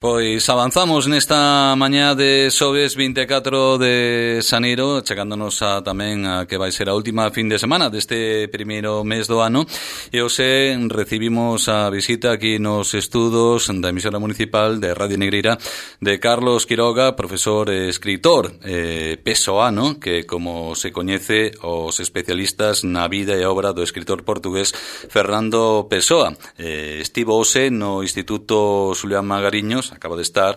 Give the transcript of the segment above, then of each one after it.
Pois avanzamos nesta mañá de xoves 24 de xaneiro, chegándonos a tamén a que vai ser a última fin de semana deste primeiro mes do ano, e hoxe recibimos a visita aquí nos estudos da emisora municipal de Radio Negreira de Carlos Quiroga, profesor e escritor pesoano, que como se coñece os especialistas na vida e obra do escritor portugués Fernando Pessoa. Estivo hoxe no Instituto Xulián Magariños, acaba de estar,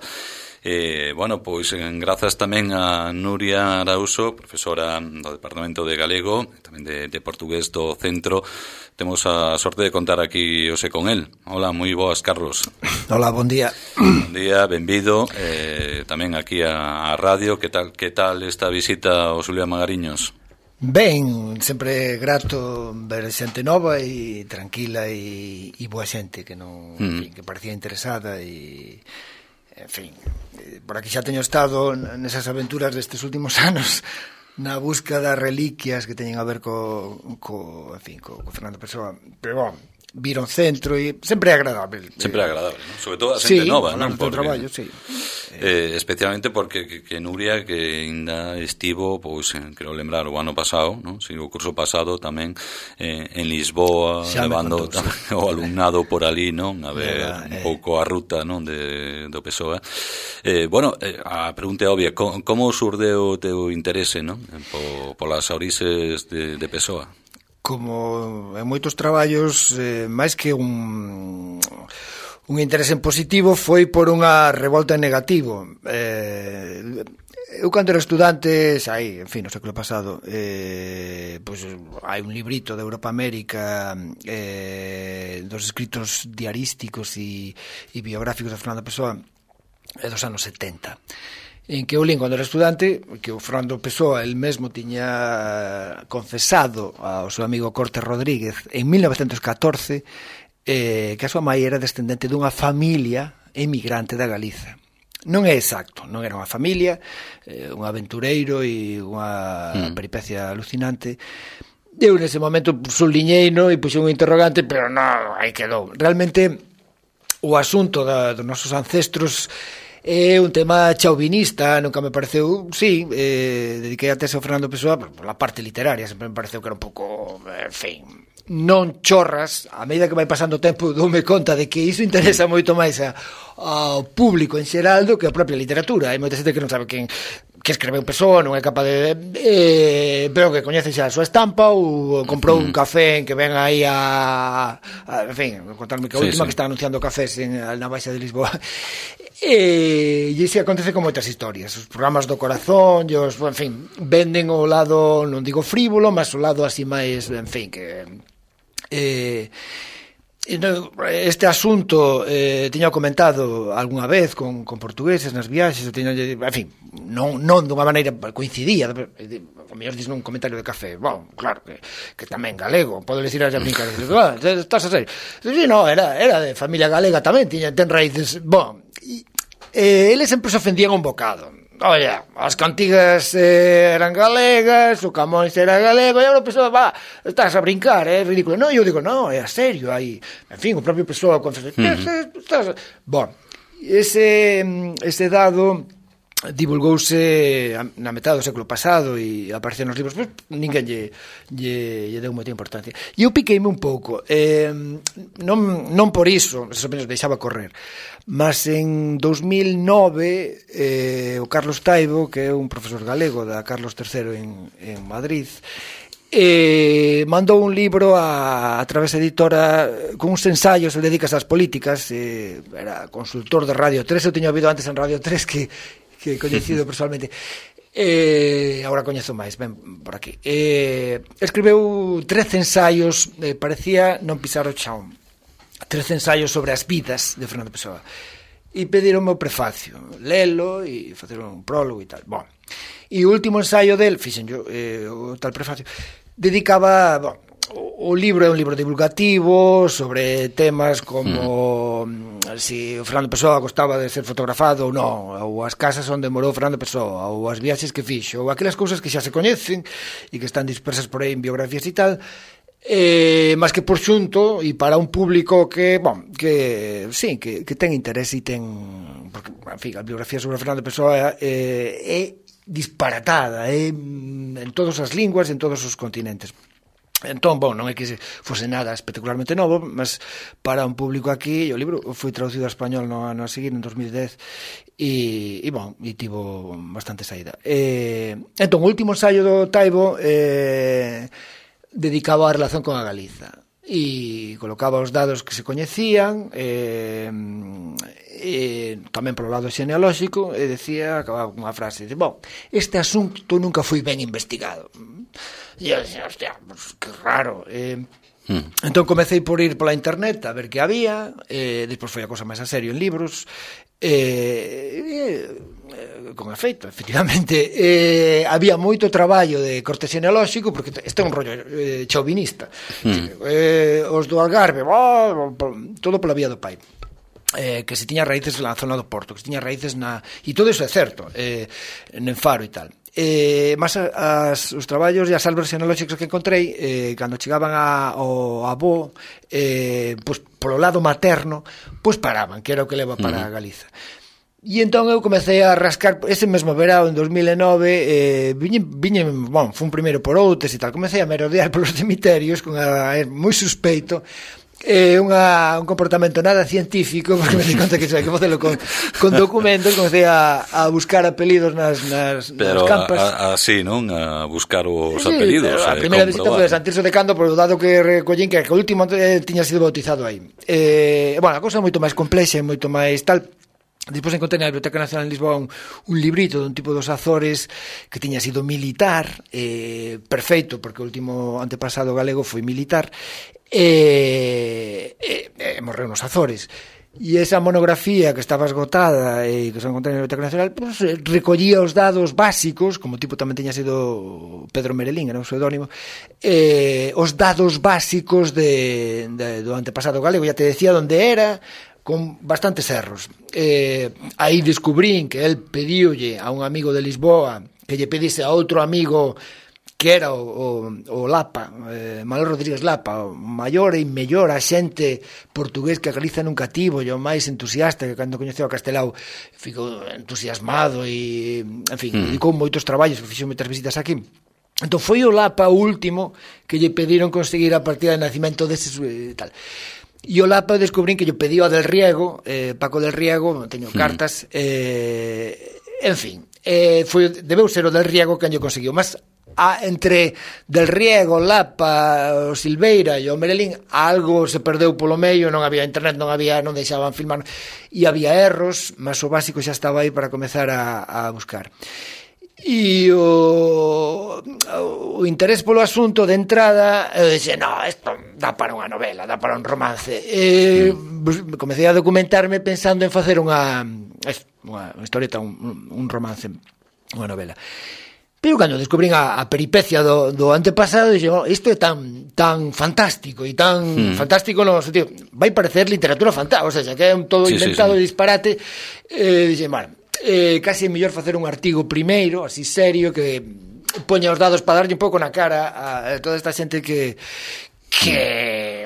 pois grazas tamén a Nuria Arauso, profesora do Departamento de Galego, tamén de Portugués do Centro. Temos a sorte de contar aquí hoxe con el. Hola, moi boas, Carlos. Hola, bon día. Bon día, benvido tamén aquí a radio. Que tal esta visita ao Xulián Magariños? Ben, sempre grato ver xente nova e tranquila e boa xente que non, en fin, que parecía interesada e, en fin, por aquí xa teño estado nesas aventuras destes últimos anos na busca das reliquias que teñen a ver co Fernando Pessoa, pero bon, vir ao centro e sempre é agradable. Sempre é agradable, ¿no? Sobre todo a xente nova, non? Porque, traballo, sí. Especialmente porque que Nuria, que ainda estivo, pois, quero lembrar, o ano pasado, ¿no? Si, o curso pasado tamén en Lisboa, xa levando o alumnado por ali, non? A ver un pouco a ruta, non? Do Pessoa. A pregunta é obvia, como surdeu o teu interese, non? Polas orixes de Pessoa? Como en moitos traballos, máis que un interese en positivo, foi por unha revolta en negativo. Eu, cando era estudante, en fin, no século pasado, pois hai un librito de Europa América dos escritos diarísticos e biográficos de Fernando Pessoa dos anos 70, en que eu lín cando era estudante que o Fernando Pessoa el mesmo tiña confesado ao seu amigo Cortes Rodríguez en 1914 que a súa mãe era descendente dunha familia emigrante da Galiza. Non é exacto, non era unha familia, un aventureiro e unha peripecia alucinante. Eu nese momento subliñeino e puxei un interrogante, pero non, aí quedou. Realmente o asunto dos nosos ancestros é un tema chauvinista, nunca me pareceu, sí, dediquei a tese ao Fernando Pessoa por la parte literaria, sempre me pareceu que era un pouco, en fin, non chorras. A medida que vai pasando o tempo doume conta de que iso interesa moito máis ao público en xeral do que a propia literatura. Hai moita xente que non sabe que escreveu Pessoa, non é capaz de pero que coñece xa a súa estampa ou comprou un café en que ven aí en fin, contarme que a última que está anunciando cafés na Baixa de Lisboa. E iso acontece con moitas historias. Os programas do corazón, en fin, venden o lado, non digo frívolo, mas o lado así máis, en fin, que este asunto tiña comentado algunha vez con portugueses nas viaxes, en fin, non dunha maneira coincidía, o mellor dis nun comentario de café, claro que tamén galego, podo decir a brincar, estás a ser, sí, no, era de familia galega tamén, ten raíces, eles sempre se ofendían un bocado. Oye, as cantigas eran galegas, o Camões era galego, e agora Pessoa, estás a brincar, é ridículo. Non, eu digo, non, é a serio, aí, en fin, o propio Pessoa confesou, ese dado divulgouse na metade do século pasado e apareceu nos libros, pois ninguén lle deu moita importancia. E eu piqueime un pouco, non por iso, eso menos deixaba correr, mas en 2009 o Carlos Taibo, que é un profesor galego da Carlos III en Madrid, mandou un libro a Través Editora con uns ensaios, ele dedicas ás políticas, era consultor de Radio 3, eu tiña ouvido antes en Radio 3 que coñecido personalmente, agora coñezo máis, ben por aquí. Escribeu 13 ensaios, parecía non pisar o chão, 13 ensaios sobre as vidas de Fernando Pessoa, e pedironme o prefacio, lelo e facer un prólogo e tal. E o último ensaio del, fixen yo, o tal prefacio, dedicaba, o libro é un libro divulgativo sobre temas como si o Fernando Pessoa gostaba de ser fotografado ou non, ou as casas onde morou Fernando Pessoa, ou as viaxes que fixo, ou aquelas cousas que xa se coñecen e que están dispersas por aí en biografías e tal, Mas que por xunto e para un público que ten interés e ten, porque, en fin, a biografía sobre Fernando Pessoa é disparatada en todas as linguas, en todos os continentes. Entón, non é que fose nada espectacularmente novo, mas para un público aquí, o libro foi traducido a español no ano a seguir, en 2010, e tivo bastante saída. Entón, o último ensaio do Taibo dedicaba a relación con a Galiza e colocaba os dados que se coñecían, tamén polo lado xenealóxico, e acababa unha frase de, este asunto nunca foi ben investigado. E eu dixía, hostia, pues, que raro. Entón comecei por ir pola internet a ver que había, despois foi a cosa máis a serio en libros, con efeito, efectivamente, había moito traballo de corte xenealóxico, porque este é un rollo chauvinista. Os do Algarve, todo pola vía do pai. Que se tiña raíces na zona do Porto, que se tiña raíces e todo iso é certo, en Faro e tal. Mas os traballos e as árbores xenealóxicos que encontrei, cando chegaban ao avó, pois polo lado materno, pois paraban, que era o que leva para Galiza. E entón eu comecei a rascar ese mesmo verao en 2009, fui un primeiro por outros e tal, comecei a merodear polos cemiterios con moi suspeito, un comportamento nada científico, porque me di conta que hai que facelo con documentos. Comecei a buscar apelidos nas campas. Pero así, non? A buscar os apelidos. A primeira visita foi a Santirso de Cando, por o dado que recollín que o último tiña sido bautizado aí. A cousa é moito máis complexa e moito máis tal. Despois encontrei na Biblioteca Nacional en Lisboa un librito dun tipo dos Azores que tiña sido militar, perfeito, porque o último antepasado galego foi militar, morreu nos Azores. E esa monografía que estaba esgotada e que se encontrei na Biblioteca Nacional, pues, recollía os dados básicos, como o tipo tamén tiña sido Pedro Merelín, era un pseudónimo, os dados básicos do antepasado galego. Ya te decía onde era, con bastantes erros. Aí descubrín que el pedíolle a un amigo de Lisboa que lle pedise a outro amigo que era o Lapa, Manuel Rodríguez Lapa, o maior e mellor axente portugués que a Galiza nunca tivo, e o máis entusiasta, que cando coñeceu a Castelao ficou entusiasmado e, en fin, dedicou moitos traballos, fixou moitas visitas aquí. Entón foi o Lapa o último que lle pediron conseguir a partida de nacimento deses tal. E o Lapa descubrín que lle pediu a Del Riego, Paco Del Riego, teño cartas, en fin, debeu ser o Del Riego quen lle conseguiu, mas entre Del Riego, Lapa, o Silveira e o Merelín algo se perdeu polo medio, non había internet, non deixaban filmar e había erros, mas o básico xa estaba aí para comezar a buscar. E o interés polo asunto de entrada, eu dixe, isto dá para unha novela, dá para un romance. Comecei a documentarme pensando en facer unha historieta, un romance, unha novela. Pero cando descubrín a peripecia do antepasado, dixe, isto é tan fantástico, e tan fantástico no sentido, vai parecer literatura fantástica, o sea, que é un todo inventado e disparate. Dixe, casi é mellor facer un artigo primeiro, así serio, que poña os dados para darlle un pouco na cara a toda esta xente que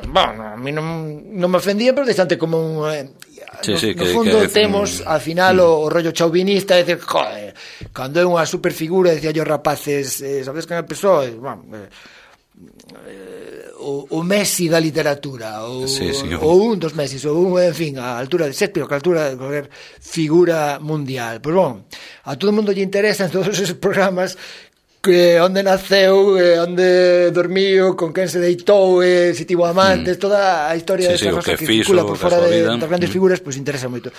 a mí non me ofendía, pero distante como un... no fondo temos, al final, o rollo chauvinista, é dicir, joder, cando é unha superfigura, decía yo rapaces, sabes que me pesou? O Messi da literatura, ou un dos Messis, ou en fin, a altura de Shakespeare, a altura de cualquier figura mundial. Pois a todo o mundo lle interesan todos esos programas, que onde naceu, onde dormiu, con quen se deitou, se tivo amantes, toda a historia desa cosa que circula por fora das grandes figuras, pois interesa moito.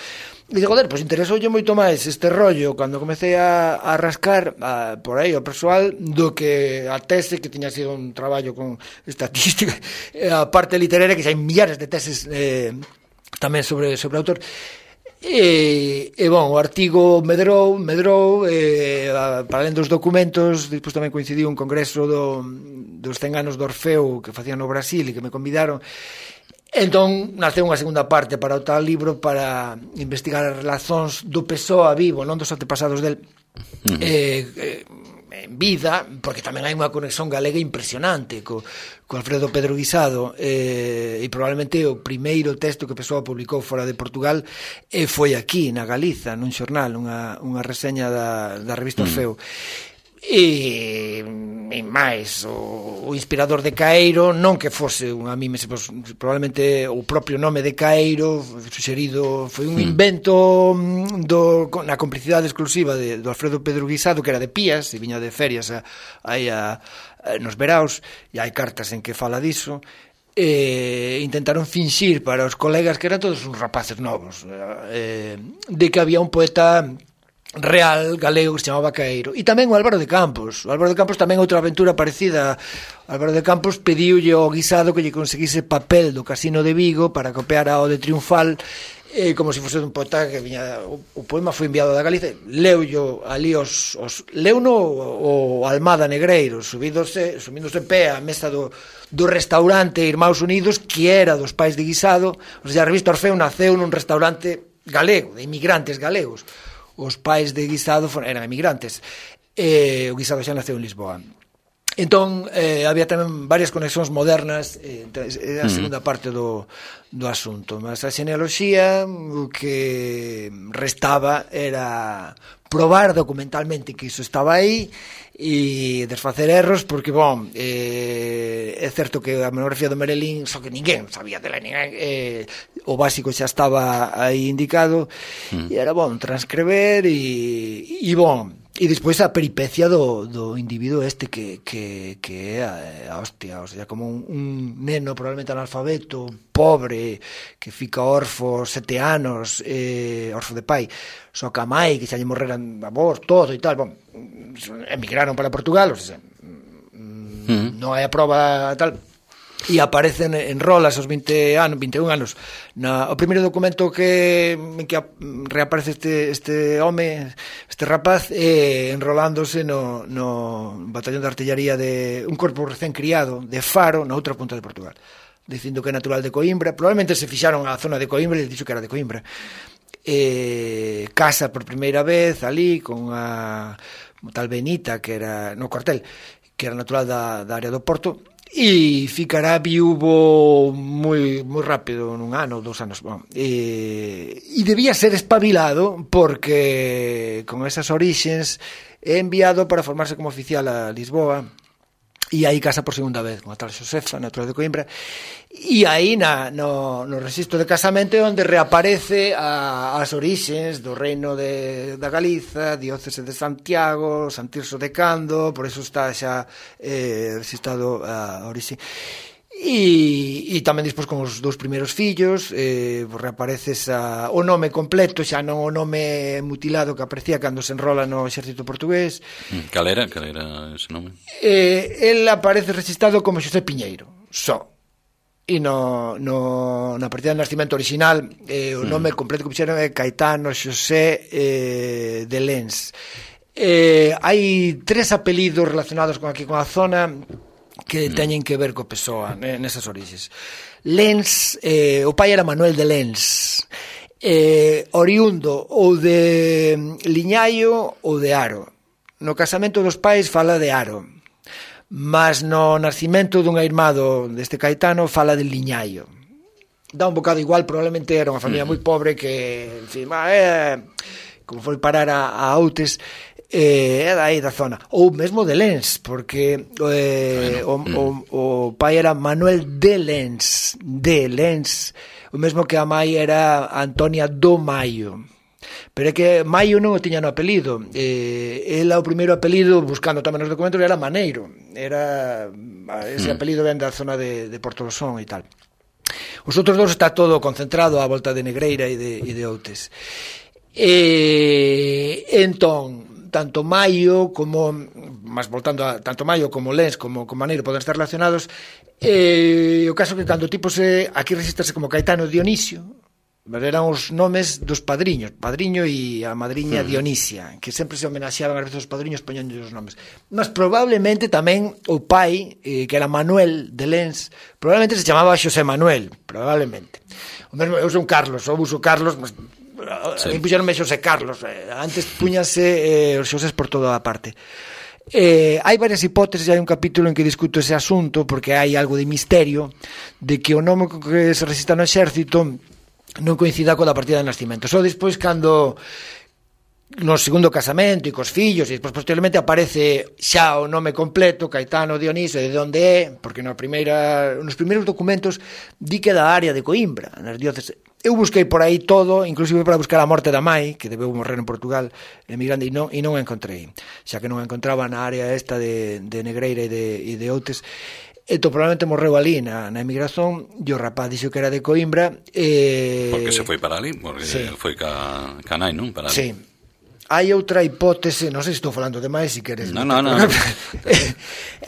E digo, pois interesoulle moito máis este rollo cando comecei a rascar por aí o persoal do que a tese, que tiña sido un traballo con estatística, a parte literaria, que xa hai millares de teses tamén sobre o autor. O artigo medrou, para além dos documentos, despois tamén coincidiu un congreso dos 100 anos do Orfeo que facían no Brasil e que me convidaron. Entón naceu unha segunda parte para o tal libro, para investigar as relacións do Pessoa vivo, non dos antepasados del, en vida, porque tamén hai unha conexión galega impresionante co Alfredo Pedro Guisado, e probablemente o primeiro texto que Pessoa publicou fora de Portugal foi aquí, na Galiza, nun xornal, unha reseña da revista Orfeo. E máis o inspirador de Caeiro, non que fose a mí probablemente o propio nome de Caeiro suxerido, foi un invento na complicidade exclusiva do Alfredo Pedro Guisado, que era de Pías e viña de ferias aí nos veraos, e hai cartas en que fala diso. Intentaron finxir para os colegas que eran todos uns rapaces novos, de que había un poeta real galego que se chamaba Caeiro, e tamén o Álvaro de Campos. O Álvaro de Campos tamén outra aventura parecida. O Álvaro de Campos pediulle ao Guisado que lle conseguise papel do Casino de Vigo para copiar ao de Triunfal, como se fose un poeta que viña. O poema foi enviado da Galicia, leullo ali leuno o Almada Negreiro, subíndose en pé á mesa do restaurante Irmãos Unidos, que era dos pais de Guisado. O sea, a revista Orfeo naceu nun restaurante galego, de inmigrantes galegos. Os pais de Guisado eran emigrantes, o Guisado xa naceu en Lisboa. Entón, había tamén varias conexións modernas, a segunda parte do asunto. Mas a xenealoxía, o que restaba era probar documentalmente que iso estaba aí e desfacer erros, porque, é certo que a monografía do Merelín, só que ninguén sabía dela, o básico xa estaba aí indicado, e era transcrever e despois a peripecia do individuo que é a hostia, o sea, como un neno probablemente analfabeto, pobre, que fica orfo 7 anos, orfo de pai, só que a mai, que xa lle morreran avós, todo e tal, emigraron para Portugal, o sea, non hai a proba tal, e aparecen en rolas aos 21 anos. O primeiro documento que reaparece este home, este rapaz, enrolándose no batallón de artillería de un corpo recén criado de Faro, na outra punta de Portugal, dicindo que é natural de Coimbra. Probablemente se fixaron a zona de Coimbra e dixo que era de Coimbra. Casa por primeira vez ali con a tal Benita, que era no cuartel, que era natural da área do Porto, e ficará viúvo moi rápido, nun ano ou 2 anos, e debía ser espabilado, porque con esas orixens é enviado para formarse como oficial a Lisboa, e aí casa por segunda vez con a tal Xosefa, natural de Coimbra, e aí no registro de casamento é onde reaparece as orixens do reino da Galiza, diócese de Santiago, San Tirso de Cando, por eso está xa registrado a orixe. E tamén despois con os 2 primeiros fillos reaparece o nome completo, xa non o nome mutilado que aparecía cando se enrola no exército portugués. Cal era ese nome? El aparece registrado como Xosé Piñeiro, só. E na partida de nacimento original o nome completo que puxeron é Caetano Xosé de Lens. Hai 3 apelidos relacionados con a zona que teñen que ver co Pessoa nesas orixes. Lens, o pai era Manuel de Lens, oriundo ou de Liñaio ou de Aro. No casamento dos pais fala de Aro, mas no nacimento dunha irmá deste Caetano fala de Liñaio. Dá un bocado igual, probablemente era unha familia moi pobre que, en fin, como foi parar a Outes, é dai da zona, ou mesmo de Lens, porque o pai era Manuel de Lens, o mesmo que a mai era Antonia do Maio, pero é que Maio non o tiña no apelido, ela o primeiro apelido, buscando tamén nos documentos, era Maneiro, ese apelido ven da zona de Porto do Son e tal. Os outros 2 está todo concentrado á volta de Negreira e de Outes. Entón, tanto Maio como, mas voltando a tanto Maio como Lens como Maneiro poden estar relacionados. O caso que cando o tipo aquí registrase como Caetano Dionisio, eran os nomes dos padriños, padriño e a madriña Dionisia, que sempre se homenaxeaban a veces os padriños poñendo os nomes. Mas probablemente tamén o pai, que era Manuel de Lens, probablemente se chamaba Xosé Manuel, probablemente. O mesmo, eu son Carlos, ou uso Carlos, mas puxeronme Xosé Carlos, antes puñase os Xosés por toda a parte. Hai varias hipóteses, hai un capítulo en que discuto ese asunto, porque hai algo de misterio de que o nome que se resista no exército non coincida coa da partida de nascimento. Só despois, cando no segundo casamento e cos fillos, e despois posteriormente aparece xa o nome completo, Caetano Dionisio, de onde é, porque nos primeiros documentos di que da área de Coimbra, nas dióceses. Eu busquei por aí todo, inclusive para buscar a morte da mai, que debeu morrer en Portugal, emigrante, e non a encontrei, xa que non a encontraba na área esta de Negreira e de Outes. Entón, probablemente morreu ali na emigración, e o rapaz dixo que era de Coimbra. Porque se foi para ali, porque sí, foi ca nai, non? Para ali. Sí. Hai outra hipótese, non sei se estou falando demais, se queres. No.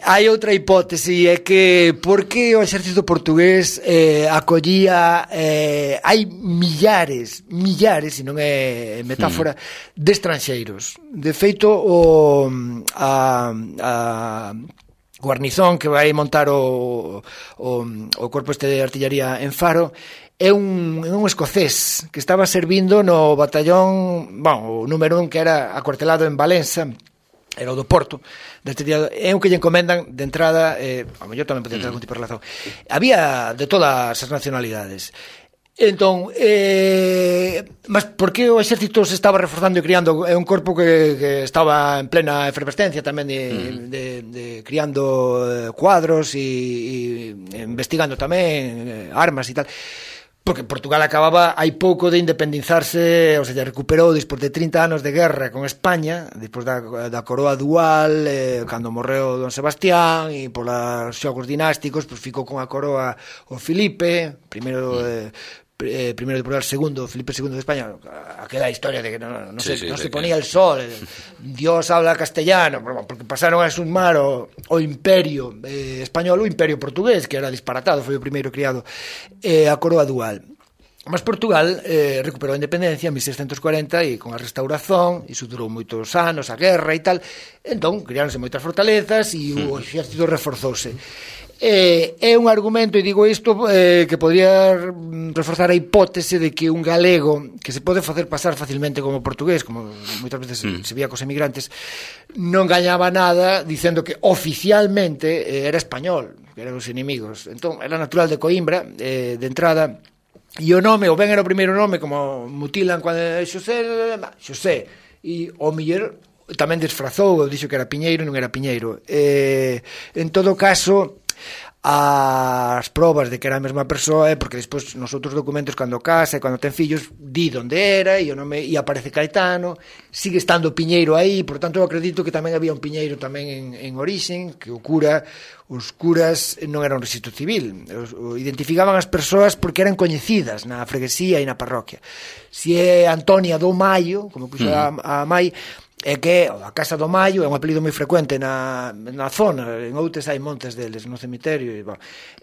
Hai outra hipótese, é que por que o exército portugués acollía hai millares, se non é metáfora, de estranxeiros. De feito, a guarnizón que vai montar o corpo este de artillería en Faro é un escocés que estaba servindo no batallón, o número 1, que era acuartelado en Valença, era o do Porto, é un que lle encomendan de entrada, a mellor tamén podía ter algún tipo de relación. Había de todas as nacionalidades. Entón, mas por que o exército se estaba reforzando e criando? É un corpo que estaba en plena efervescencia tamén de criando cuadros e investigando tamén armas e tal. Porque Portugal acababa hai pouco de independizarse, ou seja, recuperou despois de 30 anos de guerra con España, despois da coroa dual, cando morreu Don Sebastián, e polos xogos dinásticos, pois ficou con a coroa o Filipe, primeiro de Portugal, segundo, Filipe II de España, aquela historia de que non se ponía el sol, Dios habla castellano, porque pasaron a sumar o imperio español, o imperio portugués, que era disparatado, foi o primeiro criado, a coroa dual. Mas Portugal recuperou a independencia en 1640 e con a restauración, e iso durou moitos anos, a guerra e tal, entón criáronse moitas fortalezas e o exército reforzouse. É un argumento, e digo isto, que podría reforzar a hipótese de que un galego que se pode facer pasar facilmente como portugués, como moitas veces se vía cos emigrantes, non gañaba nada dicendo que oficialmente era español, que eran os inimigos. Entón, era natural de Coimbra, de entrada, e o nome, ou ben era o primeiro nome, como mutilan cando Xosé, e o mellor tamén disfrazou, dixo que era Piñeiro e non era Piñeiro. En todo caso, as probas de que era a mesma persoa é porque despois nos outros documentos, cando casa e cando ten fillos, di onde era e o nome, e aparece Caetano, sigue estando Piñeiro aí. Por tanto, eu acredito que tamén había un Piñeiro tamén en orixen, que os curas non eran un rexistro civil, identificaban as persoas porque eran coñecidas na freguesía e na parroquia. Si é Antonia do Maio, como puxo a Mai, é que a Casa do Maio é un apelido moi frecuente na zona, en Outes hai montes deles no cemiterio,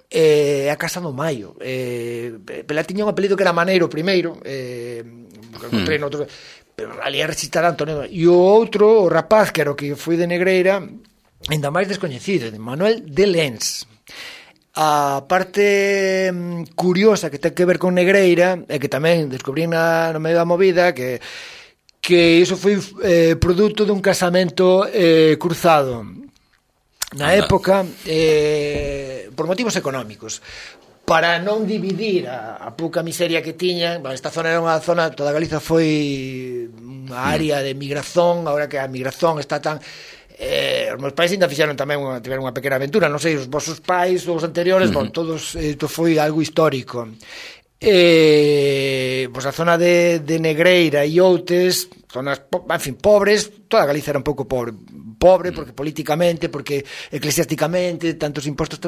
é a Casa do Maio. Pela tiña un apelido que era Maneiro primeiro, encontrei noutro, pero ali é registrado Antonio. E o outro, o rapaz, que era o que foi de Negreira, ainda máis descoñecido, de Manuel de Lens. A parte curiosa que ten que ver con Negreira é que tamén descubrí no medio da movida que iso foi produto dun casamento cruzado na época por motivos económicos, para non dividir a pouca miseria que tiñan. Esta zona era unha zona, toda Galiza foi unha área de migración. Agora que a migración está tan... os meus pais ainda fixeron tamén tiveron unha pequena aventura, non sei, os vosos pais ou os anteriores, todos, isto foi algo histórico. Pois a zona de Negreira e Outes, zonas, en fin, pobres. Toda Galiza era un pouco pobre porque políticamente, porque eclesiásticamente, tantos impostos,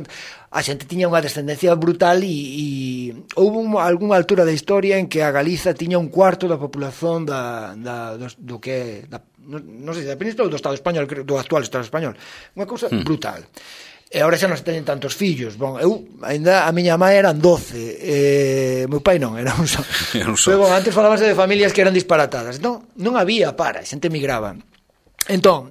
a xente tiña unha descendencia brutal, e houve algunha altura da historia en que a Galiza tiña un cuarto da populación do que non sei, da Península ou do Estado español, do actual Estado español. Unha cousa brutal. E agora xa non se teñen tantos fillos. Eu, ainda, a miña mãe eran 12, meu pai non, era un só. Pero, antes falábase de familias que eran disparatadas. Entón, non había para, a xente migraba. Entón,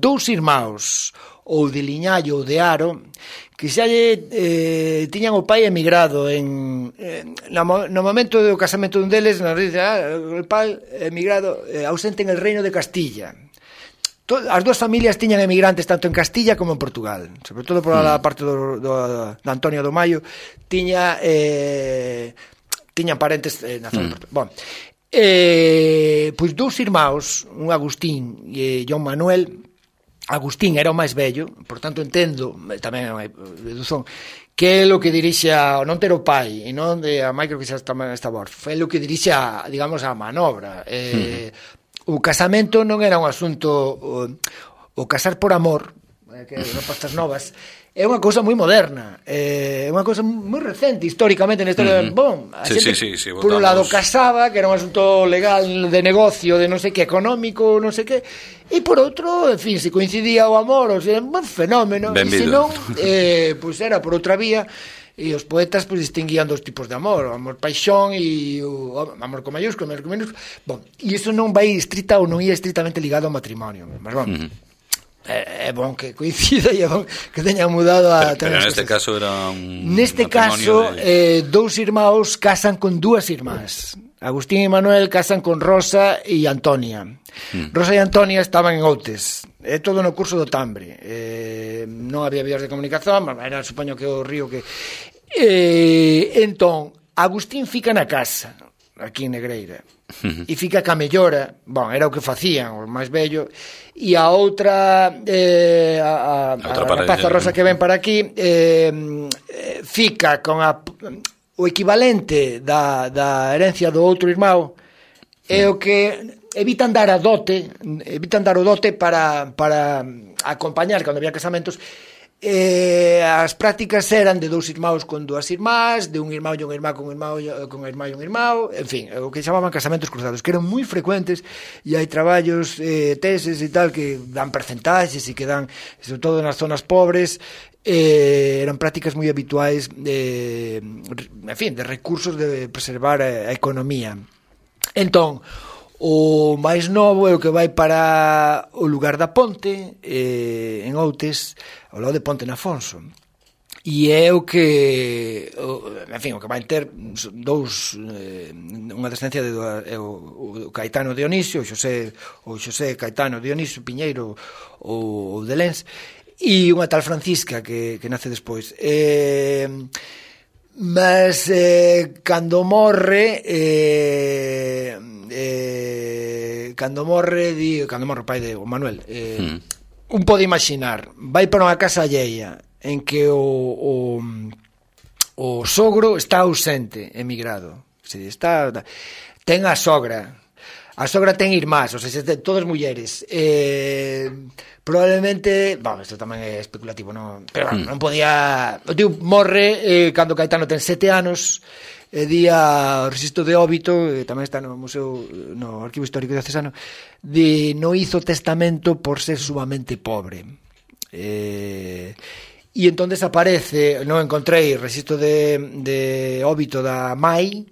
dous irmãos, ou de Liñallo ou de Aro, que xa tiñan o pai emigrado no momento do casamento dun deles, nos dice, o pai emigrado ausente en el reino de Castilla. as dúas familias tiñan emigrantes tanto en Castilla como en Portugal, sobre todo por a parte da Antonia do Maio, tiñan parentes na zona de Portugal. Pois dous irmãos, un Agustín e João Manuel. Agustín era o máis vello, por tanto entendo, tamén é unha dedución, que é o que dirixe non ter o pai, e non de a mãe, creo que xa está morto, foi o que dirixe digamos, a manobra. O casamento non era un asunto, o casar por amor, que non pastas novas, é unha cousa moi moderna, é unha cousa moi recente históricamente na historia. Bon, a xente por un lado casaba, que era un asunto legal de negocio, de non sei que, económico, non sei que, e por outro, en fin, se coincidía o amor, o sea, un fenómeno, e se non, pois era por outra vía. E os poetas pois distinguían dos tipos de amor, o amor paixón e o amor con maiúsculo, amor con minúsculo. Bon, e iso non vai estrita ou non ia estritamente ligado ao matrimonio, mas bon. É bon que coincida e é bon que teñan mudado a... Pero neste caso era un... Neste caso, dous irmãos casan con dúas irmás. Agustín e Manuel casan con Rosa e Antonia. Rosa e Antonia estaban en Outes. É todo no curso do Tambre. Non había vías de comunicación, era, supoño que o río que... Entón, Agustín fica na casa, aquí en Negreira. E fica ca mellora, bon, era o que facían, o máis vello, e a outra a rapaza Rosa que ven para aquí fica con o equivalente da herencia do outro irmão, é o que evitan dar o dote para acompañar cando había casamentos. As prácticas eran de dous irmãos con dúas irmás, de un irmão e un irmá con irmão e un irmão, en fin, o que chamaban casamentos cruzados, que eran moi frecuentes, e hai traballos, teses e tal, que dan percentaxes e que dan, sobre todo nas zonas pobres, eran prácticas moi habituais en fin, de recursos de preservar a economía. Entón, o máis novo é o que vai para o lugar da Ponte, en Outes, ao lado de Ponte na Afonso. E é o que, en fin, o que vai ter dous, unha descendencia de o Caetano Dionisio, o Xosé Caetano Dionisio Piñeiro, o de Lens, e unha tal Francisca que nace despois. Mas cando morre o pai de Manuel, un pode imaginar, vai para unha casa alleia en que o sogro está ausente, emigrado, ten a sogra ten irmás, ou sea, todas mulleres, probablemente, isto tamén é especulativo, non, pero non podía, o tío morre cando Caetano ten 7 anos, día o rexistro de Óbito, tamén está no museo, no arquivo histórico diocesano, non hizo testamento por ser sumamente pobre, e entón desaparece. Non encontrei rexistro de Óbito da Mai.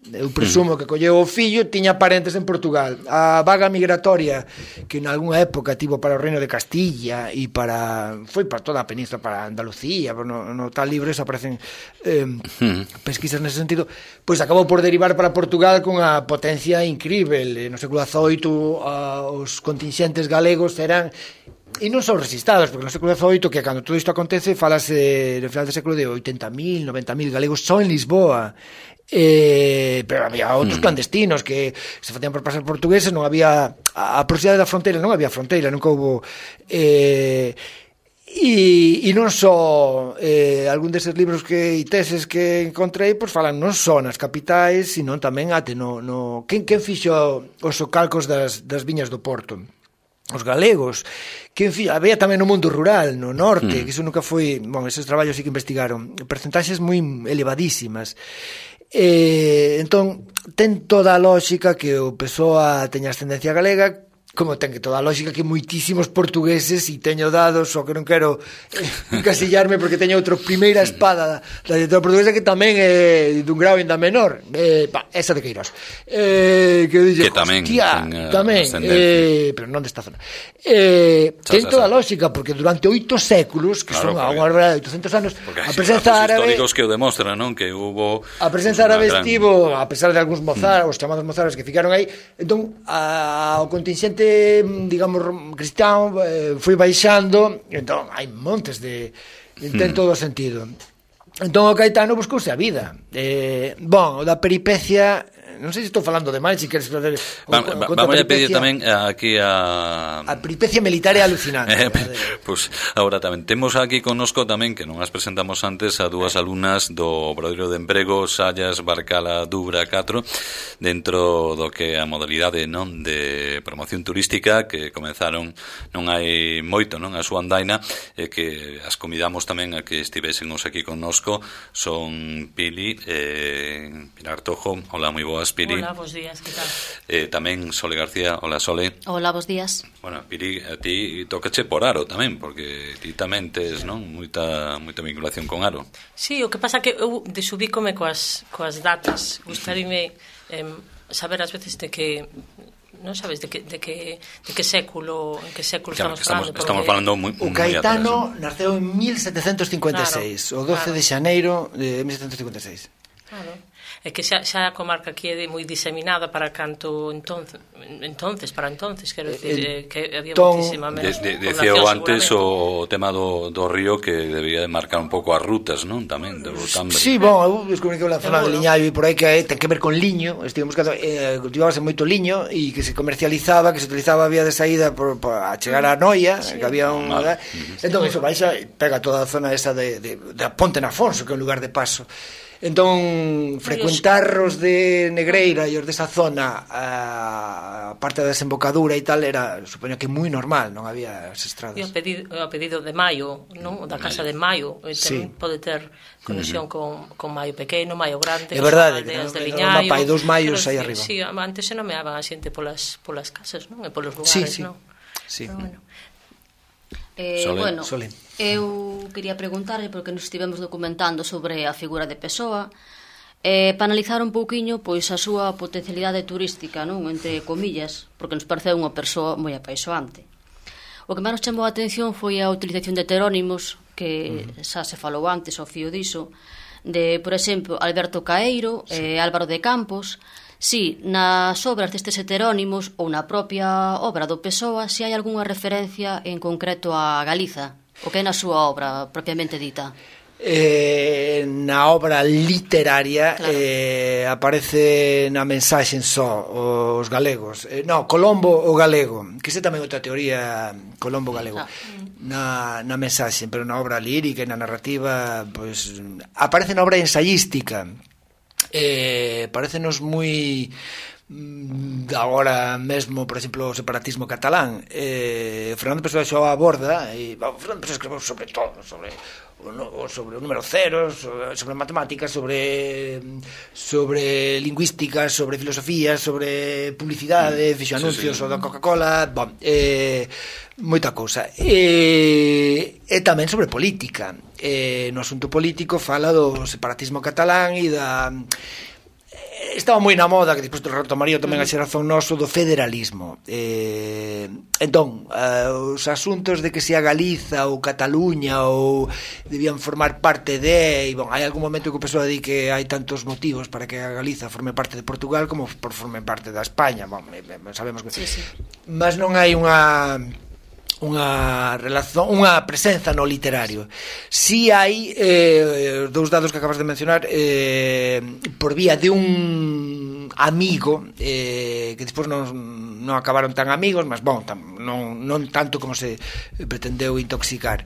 Eu presumo que colleu o fillo, tiña parentes en Portugal. A vaga migratoria que en algunha época tivo para o Reino de Castilla e foi para toda a península, para Andalucía, no tal libro eso aparecen pesquisas nese sentido, pois acabou por derivar para Portugal con a potencia incrível. No século XVIII os contingentes galegos eran, e non son resistados, porque no século XVIII, que cando todo isto acontece, falase no final do século de 80.000, 90.000 galegos só en Lisboa. Pero había outros clandestinos que se facían por pasar portugueses, non había a proximidade da fronteira, non había fronteira, nunca houve e non só algún deses libros e teses que encontrei, pois falan non só nas capitais, sino tamén até quen fixo os socalcos das viñas do Porto? Os galegos. Había tamén no mundo rural, no norte, que iso nunca foi, esos traballos sí que investigaron, percentaxes moi elevadísimas. Entón ten toda a lógica que o Pessoa teña ascendencia galega, como ten que toda a lógica que moitísimos portugueses, e teño dados, o que non quero encasillarme porque teño outra primeira espada da literatura portuguesa que tamén é dun grau ainda menor, esa de Queiroz, que dixe, hostia, tamén, pero non desta zona, ten toda a lógica porque durante 8 séculos, que son a unha barbaridade de 800 anos, a presenza árabe, históricos que o demostran, non? Que hubo a presenza árabe estivo, a pesar de algúns mozárabes, os chamados mozárabes que ficaron aí, entón o contingente ambiente, digamos, cristián foi baixando, entón hai montes de ten todo o sentido. Entón o Caetano buscouse a vida. O da peripecia, non sei se estou falando de máis, se queres fazer vamos a pedir tamén aquí a peripecia militar é alucinante. Pois agora tamén temos aquí connosco tamén, que non as presentamos antes, a dúas alumnas do Obradoiro de Emprego Sallas Barcala Dubra 4, dentro do que a modalidade, non, de promoción turística que comenzaron non hai moito, non, a súa andaina, e que as convidamos tamén a que estivésemos aquí connosco. Son Pili Pilar Tojo. Hola, moi boas, Pili. Hola, bos días, que tal? Tamén Sole García. Hola, Sole. Hola, bos días. Bueno, Pili, a ti tócache por Aro tamén, porque ti tamén tes, non, moita vinculación con Aro. Sí, o que pasa que eu desubícome coas datas. Gustaríame saber ás veces de que non sabes de que século, en que século claro, estamos falando moi o Caetano naceu en 1756, claro, o 12 de xaneiro de 1756. Claro. É que xa a comarca aquí é moi diseminada para canto entonces, quero dicir, que había muchísima menos decía antes o tema do río que debía de marcar un pouco as rutas, non? Tamén do Cambre. Sí, eu descubrí que a zona de Liñaio e por aí que ten que ver con liño, estivemos buscando, cultivábase moito liño e que se comercializaba, que se utilizaba a vía de saída a chegar a Noia, sí, que había un... Entón, iso baixa, pega toda a zona esa de Ponte na Afonso, que é un lugar de paso. Entón, frecuentar os de Negreira e os desa zona, a parte da desembocadura e tal, era, supoño que moi normal, non había as estradas. E o pedido de Maio, non? Da Casa de Maio, sí, pode ter conexión con Maio Pequeno, Maio Grande, é verdade, que son aldeas de Liñaio. Hai 2 Maios aí arriba. Sí, antes se nomeaban a xente polas casas, non? E polos lugares, non? Sí. Bueno. Sole. Eu quería preguntarle, porque nos estivemos documentando sobre a figura de Pessoa, para analizar un pouquiño pois a súa potencialidade turística, non, entre comillas, porque nos pareceu unha persoa moi apaixoante. O que máis nos chamou a atención foi a utilización de heterónimos, que xa se falou antes, ao fío diso, de, por exemplo, Alberto Caeiro, Álvaro de Campos. Si, nas obras destes heterónimos ou na propia obra do Pessoa, se hai algunha referencia en concreto a Galiza, o que é na súa obra propiamente dita. Na obra literaria, claro, aparece na mensaxe só os galegos, Colombo o galego, que é tamén outra teoría, Colombo galego, na mensaxe, pero na obra lírica e na narrativa, pois, aparece na obra ensayística. Parécenos moi agora mesmo, por exemplo, o separatismo catalán. Fernando Pessoa xo aborda, Fernando Pessoa escreveu sobre todo, sobre o número cero, sobre matemáticas, sobre lingüística, sobre filosofía, sobre publicidade, fixo anuncios o da Coca-Cola, moita cousa. E tamén sobre política. No asunto político fala do separatismo catalán e da... Estaba moi na moda, que despois retomaría tamén a xeración noso, do federalismo. Entón, os asuntos de que se a Galiza ou Cataluña ou debían formar parte de... hai algún momento que o Pessoa di que hai tantos motivos para que a Galiza forme parte de Portugal como forme parte da España. Sabemos que... Sí. Mas non hai unha relación, unha presenza no literario. Si hai os dous dados que acabas de mencionar, por vía de un amigo, que despois non acabaron tan amigos, mas non tanto como se pretendeu intoxicar,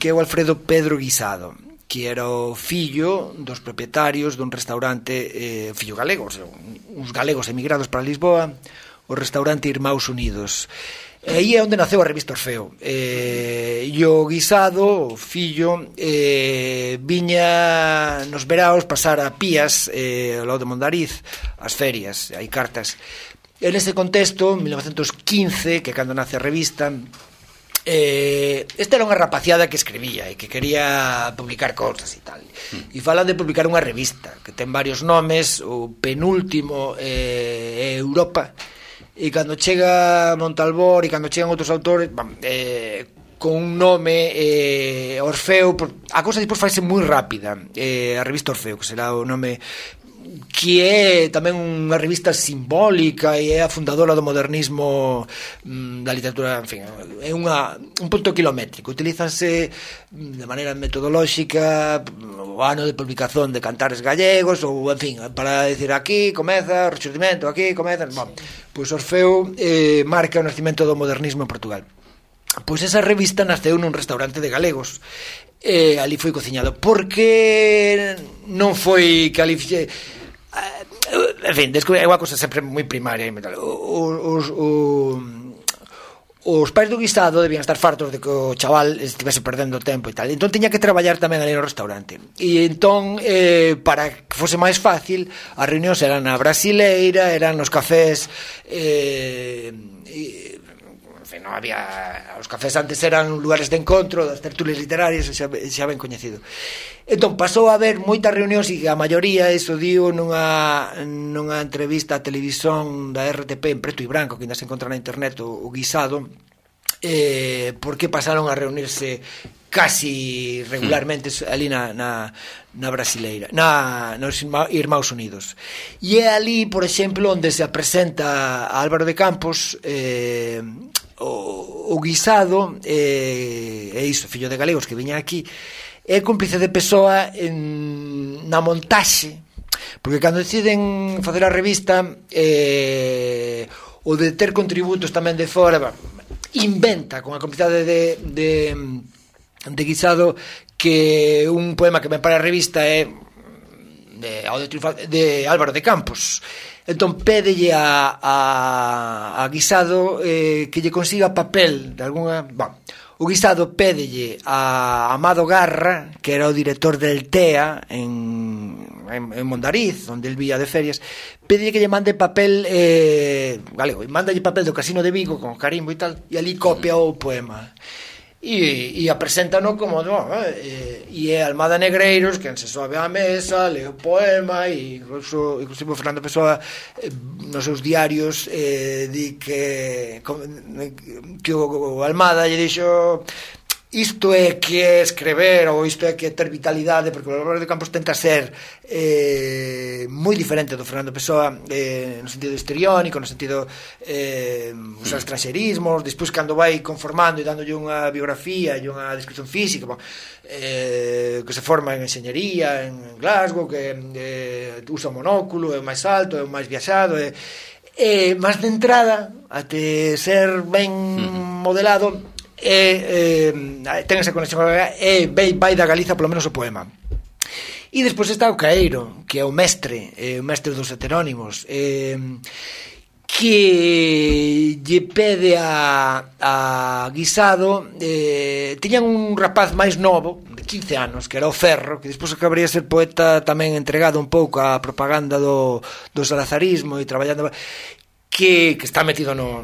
que é o Alfredo Pedro Guisado, que era o fillo dos propietarios dun restaurante, fillo galego, uns galegos emigrados para Lisboa, o restaurante Irmãos Unidos. E aí é onde naceu a revista Orfeo. E o Guisado, o fillo, viña nos veraos pasar a Pías, ao lado de Mondariz, as ferias, hai cartas. En ese contexto, en 1915, que é cando nace a revista, esta era unha rapaciada que escribía e que quería publicar cousas e tal. E falan de publicar unha revista que ten varios nomes, o penúltimo é Europa. E cando chega Montalbor e cando chegan outros autores, con un nome, Orfeo, a cousa despois faise moi rápida, a revista Orfeo, que será o nome que é tamén unha revista simbólica e é a fundadora do modernismo da literatura, en fin, é un punto kilométrico. Utilízanse de maneira metodolóxica o ano de publicación de Cantares Gallegos ou, en fin, para decir aquí comeza o Rexurdimento, aquí comeza, bon, pois Orfeo marca o nacimento do modernismo en Portugal. Pois esa revista naceu nun restaurante de galegos, ali foi cociñado, porque non foi que ali en fin, é unha cosa sempre moi primaria. Os pais do guisado debían estar fartos de que o chaval estivese perdendo tempo e tal, entón tiña que traballar tamén ali no restaurante, e entón para que fose máis fácil as reunións eran na brasileira, eran nos cafés, non había, os cafés antes eran lugares de encontro das tertulias literarias, xa ben coñecido. Entón pasou a haber moitas reunións e a maioría, iso dio nunha entrevista a televisión da RTP en preto e branco, que ainda se encontra na internet, o guisado, porque pasaron a reunirse casi regularmente ali na brasileira, nos Irmãos Unidos, e é ali, por exemplo, onde se presenta a Álvaro de Campos, o guisado, é iso, fillo de galegos que viña aquí, é cúmplice de Pessoa na montaxe, porque cando deciden facer a revista, o de ter contributos tamén de fora, inventa con a complicidade de guisado que un poema que ven para a revista é de Álvaro de Campos. Entón pédelle a guisado que lle consiga papel de alguna... Bon, o guisado pédelle a Amado Garra, que era o director del TEA en Mondariz, onde el vía de ferias, pédelle que lle mande papel galego, e mándalle papel do Casino de Vigo con carimbo e tal, e ali copia o poema. E a preséntano como e é Almada Negreiros quen se sobe á mesa, lee o poema, e inclusive Fernando Pessoa nos seus diarios di que o Almada lle dixo isto é que é escrever, ou isto é que é ter vitalidade, porque o Álvaro de Campos tenta ser moi diferente do Fernando Pessoa no sentido histriónico, no sentido usar estranxerismos, despois cando vai conformando e dándolle unha biografía e unha descripción física, que se forma en enxeñería en Glasgow, que usa monóculo, é o máis alto, é o máis viaxado, máis de entrada até ser ben modelado, ten esa conexión e vai da Galiza polo menos o poema. E despois está o Caeiro, que é o mestre dos heterónimos, que lle pede a guisado, tiñan un rapaz máis novo de 15 anos, que era o Ferro, que despois acabaría de ser poeta tamén entregado un pouco á propaganda do salazarismo e traballando, que está metido no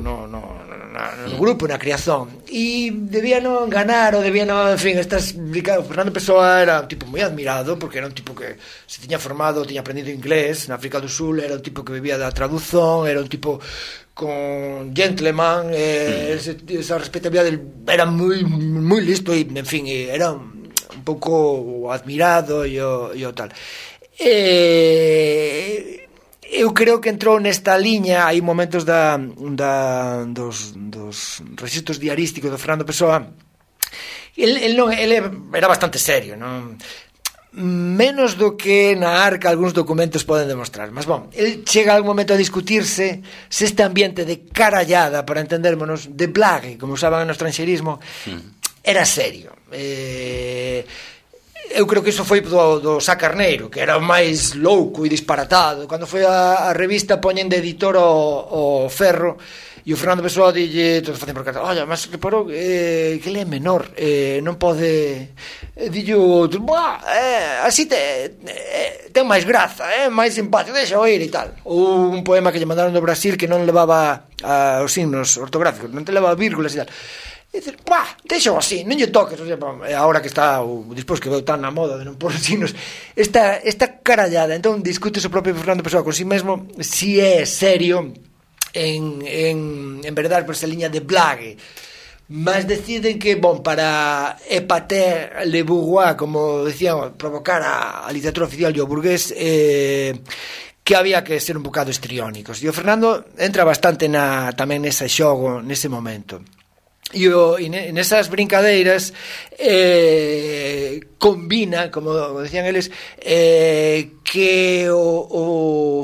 grupo, na creación, e debían ganar, ou debían, en fin, Fernando Pessoa era un tipo moi admirado, porque era un tipo que se tiña formado, tiña aprendido inglés na África do Sul, era un tipo que vivía da traducción, era un tipo con gentleman, esa respetabilidade, era moi listo, e, en fin, era un pouco admirado e o tal. Eu creo que entrou nesta liña, hai momentos dos registros diarísticos do Fernando Pessoa, ele era bastante serio, non? Menos do que na Arca algúns documentos poden demostrar, mas bon, ele chega algún momento a discutirse se este ambiente de carallada, para entendérmonos, de blague, como usaban no estranxerismo, era serio. Eu creo que iso foi do Sá Carneiro, que era o máis louco e disparatado. Cando foi a revista poñen de editor o Ferro, e o Fernando Pessoa dille, todo facen por carta, oye, mas reparou que ele é menor, non pode, dillo, así ten máis graza, máis simpático, deixa oír e tal. Ou un poema que lle mandaron do Brasil que non levaba os signos ortográficos, non te levaba vírgulas e tal. E dices, deixo así, non lle toques, agora que está despois que veo tan na moda de non pôr signos, esta carallada. Entón discute o propio Fernando Pessoa con si mesmo si é serio en verdade por esa liña de blague, mas deciden que, para épater le bourgeois, como decían, provocar a literatura oficial e o burgués, que había que ser un bocado histriónicos. E o Fernando entra bastante tamén nese xogo, nese momento. E nesas brincadeiras combina, como decían eles, que o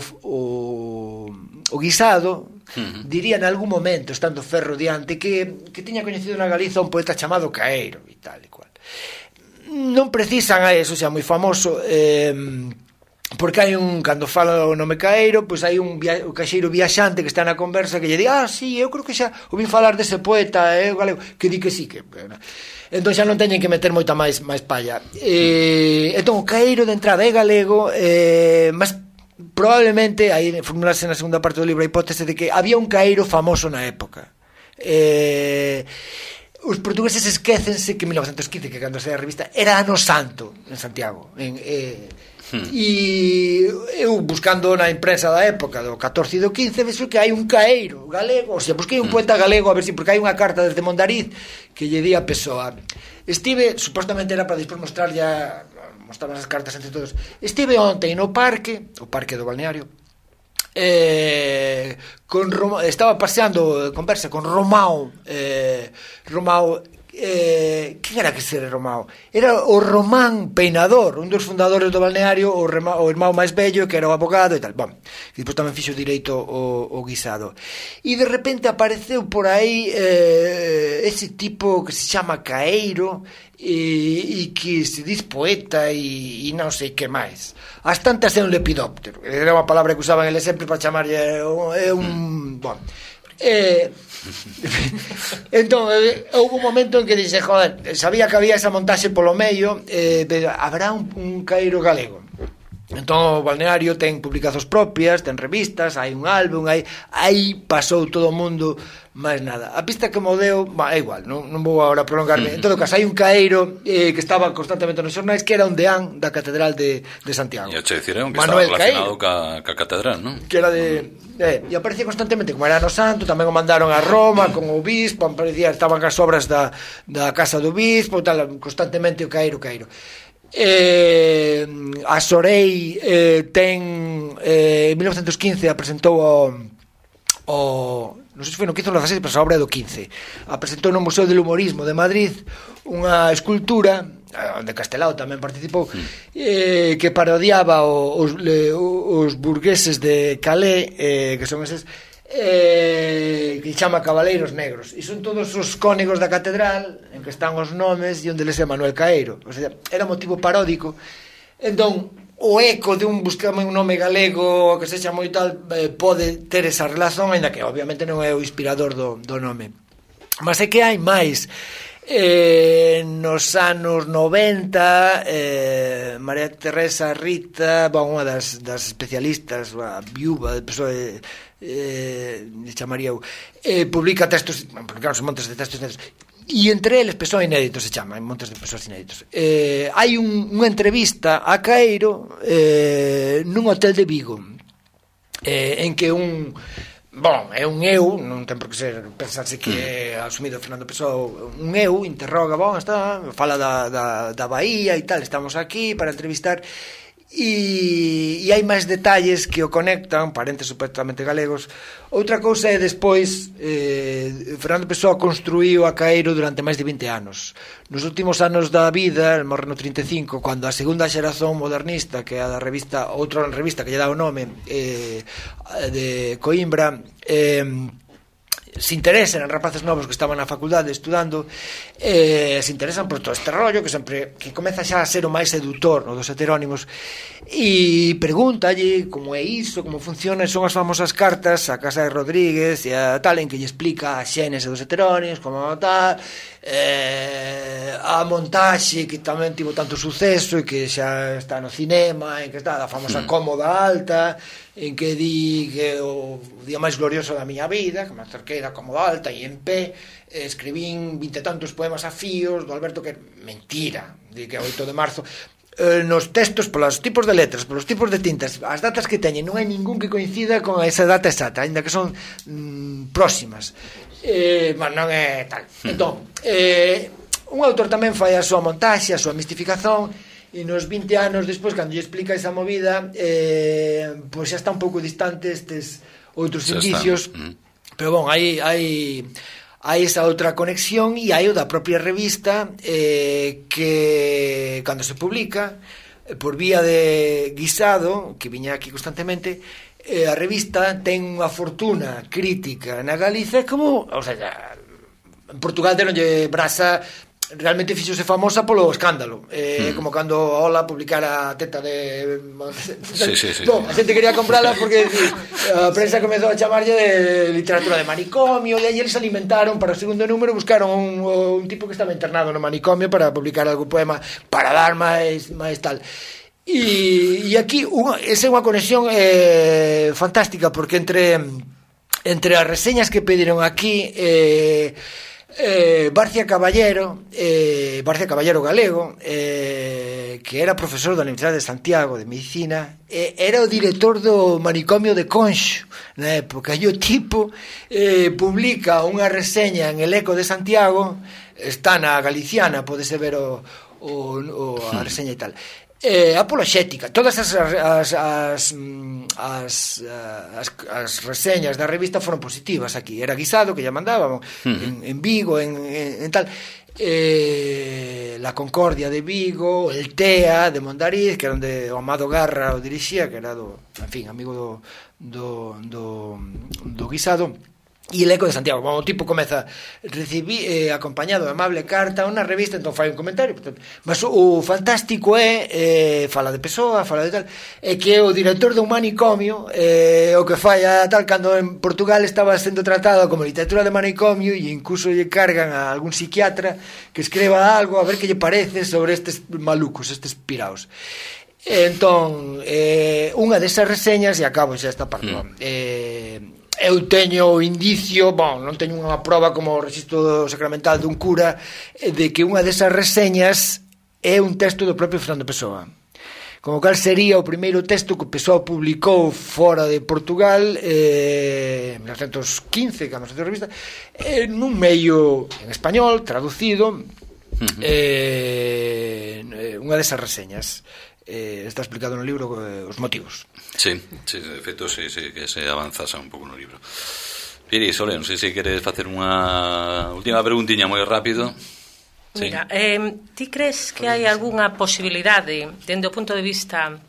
Guisado diría en algún momento, estando Ferro diante, que tiña coñecido na Galiza un poeta chamado Caeiro e tal e cual. Non precisan a eso, xa moi famoso, porque hai cando fala o nome Caeiro, pois hai o caixeiro viaxante que está na conversa que lle di, sí, eu creo que xa ouvi falar dese poeta galego, que di que sí, que entón xa non teñen que meter moita máis palla. Entón o Caeiro de entrada é galego, mas probablemente aí formulase na segunda parte do libro a hipótese de que había un Caeiro famoso na época. Os portugueses esquécense que 1915, que cando saía a revista, era ano santo en Santiago, e eu buscando na imprensa da época do 14 e do 15 vexo que hai un Caeiro galego, busquei un poeta galego a ver si, porque hai unha carta desde Mondariz que lle di a Pessoa. Supostamente era para despois mostraban as cartas entre todos. Estive ontem no parque, o parque do balneario, estaba paseando, conversa con Romao. Quen era que ser Romao? Era o Román Peinador, un dos fundadores do balneario, o irmão máis vello, que era o abogado e tal. E depois tamén fixo direito o Guisado. E de repente apareceu por aí ese tipo que se chama Caeiro e que se diz poeta e non sei que máis. As tantas é un lepidóptero, era unha palabra que usaban eles sempre para chamarlle entón houve un momento en que dixe, sabía que había esa montaxe polo medio, habrá un Caeiro galego. Entón o balneario ten publicacións propias, ten revistas, hai un álbum, aí pasou todo o mundo, máis nada. A pista que mo deu, é igual, non vou agora prolongarme. En todo caso, hai un Caeiro que estaba constantemente nos xornais, que era un deán da Catedral de Santiago. E che diciron que Manuel estaba relacionado ca catedral, non? Que era e aparecía constantemente, como era no santo, tamén o mandaron a Roma con o bispo, estaban as obras da casa do bispo, tal, constantemente o Caeiro. A Sorei ten en 1915 apresentou non sei se foi no 15 ou no 16, pero a obra é do 15. Apresentou no Museo del Humorismo de Madrid unha escultura onde Castelao tamén participou, que parodiaba os burgueses de Calais, que son eses que chama Cabaleiros Negros, e son todos os cónegos da catedral en que están os nomes e onde les é Manuel Caeiro. O sea, era motivo paródico. Entón o eco de buscame un nome galego que sexa moi tal, pode ter esa relación, ainda que obviamente non é o inspirador do nome. Mas é que hai máis. Nos anos 90 María Teresa Rita, unha das especialistas, a viúva de PSOE, chamaría eu, publica textos, publicamos montes de textos inéditos, e entre eles PSOE inéditos se chama, montes de PSOE inéditos. Hai unha entrevista a Caeiro nun hotel de Vigo, en que é un eu, non ten por que ser pensarse que é asumido Fernando Pessoa, un eu interroga, fala da Bahía e tal, estamos aquí para entrevistar, e hai máis detalles que o conectan, parentes supuestamente galegos. Outra cousa é despois Fernando Pessoa construíu a Caeiro durante máis de 20 anos. Nos últimos anos da vida, el morre no 35, cando a segunda xeración modernista, que é a da revista, outra revista que lle dá o nome, de Coimbra, se interesan en rapaces novos que estaban na facultade estudando, se interesan por todo este rollo que comeza xa a ser o máis sedutor, no, dos heterónimos, e pregúntalle como é iso, como funciona. Son as famosas cartas a casa de Rodríguez e a tal, en que lle explica a xénese dos heterónimos, como tal, a montaxe que tamén tivo tanto suceso e que xa está no cinema, en que está a famosa Cómoda Alta, en que di que o día máis glorioso da miña vida, que me acerquei da Cómoda Alta e en pé escribín 20 e tantos poemas a fíos do Alberto, que mentira, di que é 8 de marzo. Nos textos, polos tipos de letras, polos tipos de tintas, as datas que teñen, non hai ningún que coincida con esa data exacta, ainda que son próximas. non é tal. Entón, un autor tamén fai a súa montaxe, a súa mistificación, e nos 20 anos despois, cando lle explica esa movida, pois xa está un pouco distante estes outros indicios, pero bon, hai esa outra conexión, e hai o da propia revista, que cando se publica por vía de Guisado, que viña aquí constantemente, a revista ten unha fortuna crítica na Galiza, como, o sea, en Portugal deronlle brasa, realmente fixose famosa polo escándalo, como cando a Ola publicara a teta de... Sí. No, a xente quería comprala porque a prensa comezou a chamarlle de literatura de manicomio, e aí eles alimentaron, para o segundo número buscaron un tipo que estaba internado no manicomio para publicar algún poema para dar máis tal. E aquí esa é unha conexión fantástica, porque entre as reseñas que pediron aquí, Barcia Caballero galego, que era profesor da Universidade de Santiago de Medicina, era o director do manicomio de Conxo na época, e o tipo publica unha reseña en El Eco de Santiago, está na Galiciana, podese ver a reseña e tal, apoloxética. Todas as reseñas da revista foron positivas aquí. Era Guisado que ya mandábamos en Vigo, en tal, La Concordia de Vigo, el TEA de Mondariz, que era onde o Amado Garra o dirixía, que era amigo do Guisado. E El Eco de Santiago, o tipo comeza acompañado de amable carta unha revista, entón fai un comentario, mas o fantástico é fala de Pessoa, fala de tal, é que o director dun manicomio o que fai a tal, cando en Portugal estaba sendo tratado como literatura de manicomio, e incluso lle cargan a algún psiquiatra que escriba algo a ver que lle parece sobre estes malucos, estes piraos. Entón, unha desas reseñas, e acabo xa esta parte, eu teño indicio, non teño unha proba como o rexistro sacramental dun cura, de que unha desas reseñas é un texto do propio Fernando Pessoa, como cal sería o primeiro texto que Pessoa publicou fora de Portugal en 1915, cando se fixo a revista, nun medio en español, traducido, unha desas reseñas. Está explicado no libro os motivos. Sí, de feito, sí, que se avanzase un pouco no libro. Piri, Sole, non sei se queres facer unha última preguntiña moi rápido. Mira, ti crees que hai algunha posibilidade, dende o punto de vista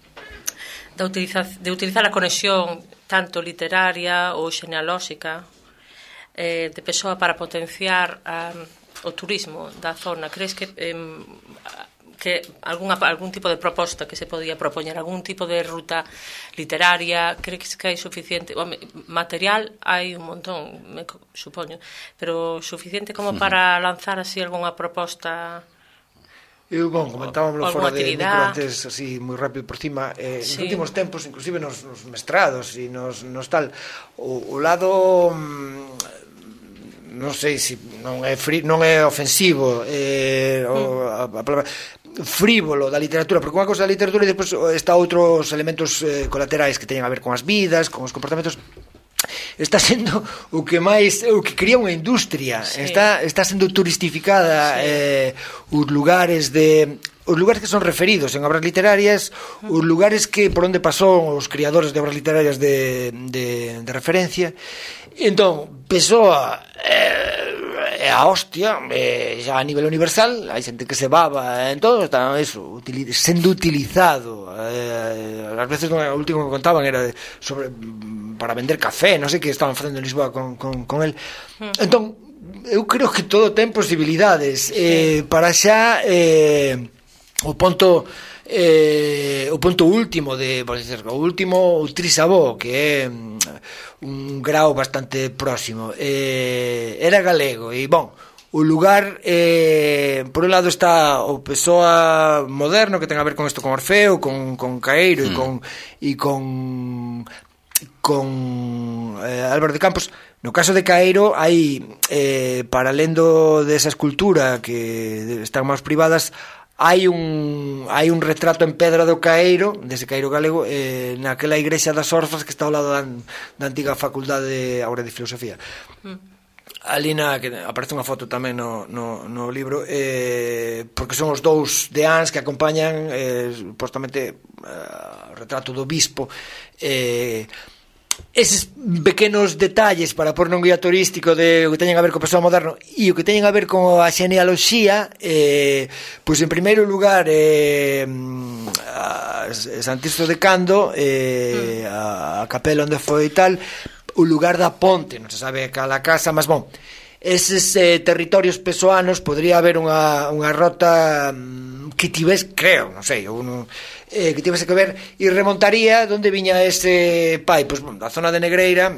de utilizar a conexión tanto literaria ou xenealóxica de Pessoa para potenciar o turismo da zona? Crees que algún tipo de proposta que se podía propoñer, algún tipo de ruta literaria? Crees que hai suficiente? Material hai un montón, supoño, pero suficiente como para lanzar así algunha proposta? Eu, comentábamos fora de micro antes, así, moi rápido por cima, nos últimos tempos, inclusive nos mestrados e nos tal, o lado... non sei se non é ofensivo a palabra frívolo da literatura, porque unha cosa da literatura e depois está outros elementos colaterais que teñen a ver con as vidas, con os comportamentos. Está sendo o que cría unha industria, está sendo turistificada, os lugares que son referidos en obras literarias, os lugares que por onde pasou os criadores de obras literarias de referencia. Entón, Pessoa é a hostia, xa a nivel universal, hai xente que se baba en todo, está eso, sendo utilizado. Ás veces o último que contaban era sobre para vender café, non sei que estaban facendo en Lisboa con el. Entón, eu creo que todo ten posibilidades. Para xa o punto último o último trisabó, que é un grao bastante próximo, era galego, e o lugar, por un lado está o Pessoa moderno, que ten a ver con isto, con Orfeo, con Caeiro e con Álvaro de Campos. No caso de Caeiro hai, para lendo desa escultura que están máis privadas, hai un retrato en pedra do Caeiro, dese Caeiro galego, naquela igrexa das Orfas que está ao lado da antiga facultade agora de filosofía. ali que aparece unha foto tamén no libro, porque son os dous deáns que acompañan supostamente o retrato do bispo. Eses pequenos detalles para pôr nun guía turístico de o que teñen a ver co pessoal moderno e o que teñen a ver con a xenealoxía, pois en primeiro lugar Santisto de Cando, a capela onde foi tal, o lugar da ponte, non se sabe cala casa, mas bon, eses territorios pesoanos podría haber unha rota que tivese, creo, non sei, que tivese que ver e remontaría onde viña ese pai, pois da zona de Negreira,